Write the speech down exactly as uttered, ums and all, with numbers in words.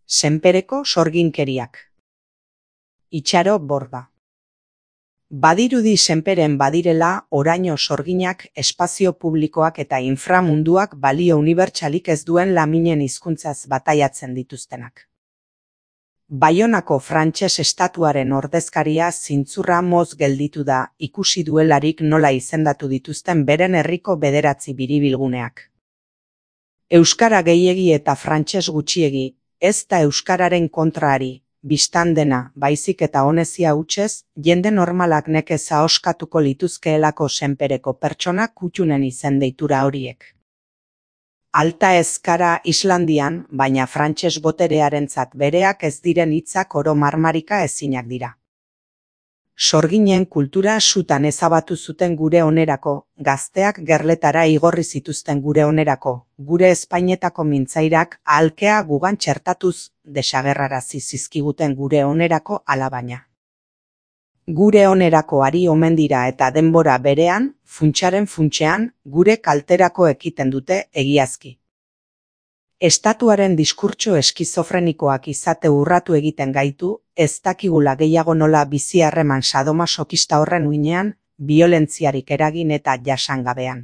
Senpereko sorginkeriak. Itxaro Borda. Badirudi senperen badirela oraino sorginak, espazio publikoak eta inframunduak balio unibertsalik ez duen laminen hizkuntzaz bataiatzen dituztenak. Baionako frantses estatuaren ordezkaria zintzurra moz gelditu da ikusi duelarik nola izendatu dituzten beren herriko bederatzi biribilguneak. Euskara gehiegi eta frantses gutxiegi, ez da euskararen kontraari, bistan dena, baizik eta honezia hutsez, jende normalak nekez ahoskatuko lituzkeelako senpereko pertsona kuttunen izen deitura horiek. Alta ezkara Islandian, baina frantses boterearentzat bereak ez diren hitzak oro marmarika ezinak dira. Sorginen kultura sutan ezabatu zuten gure onerako, gazteak gerletara igorri zituzten gure onerako, gure Espainetako mintzairak ahalkea gugan txertatuz desagerrarazi zizkiguten gure onerako alabaina. Gure onerako ari omen dira eta denbora berean, funtsaren funtsean, gure kalterako ekiten dute egiazki. Estatuaren diskurtso eskizofrenikoak izate urratu egiten gaitu, ez dakigula gehiago nola bizi harreman sadomasokista horren uinean, biolentziarik eragin eta jasangabean.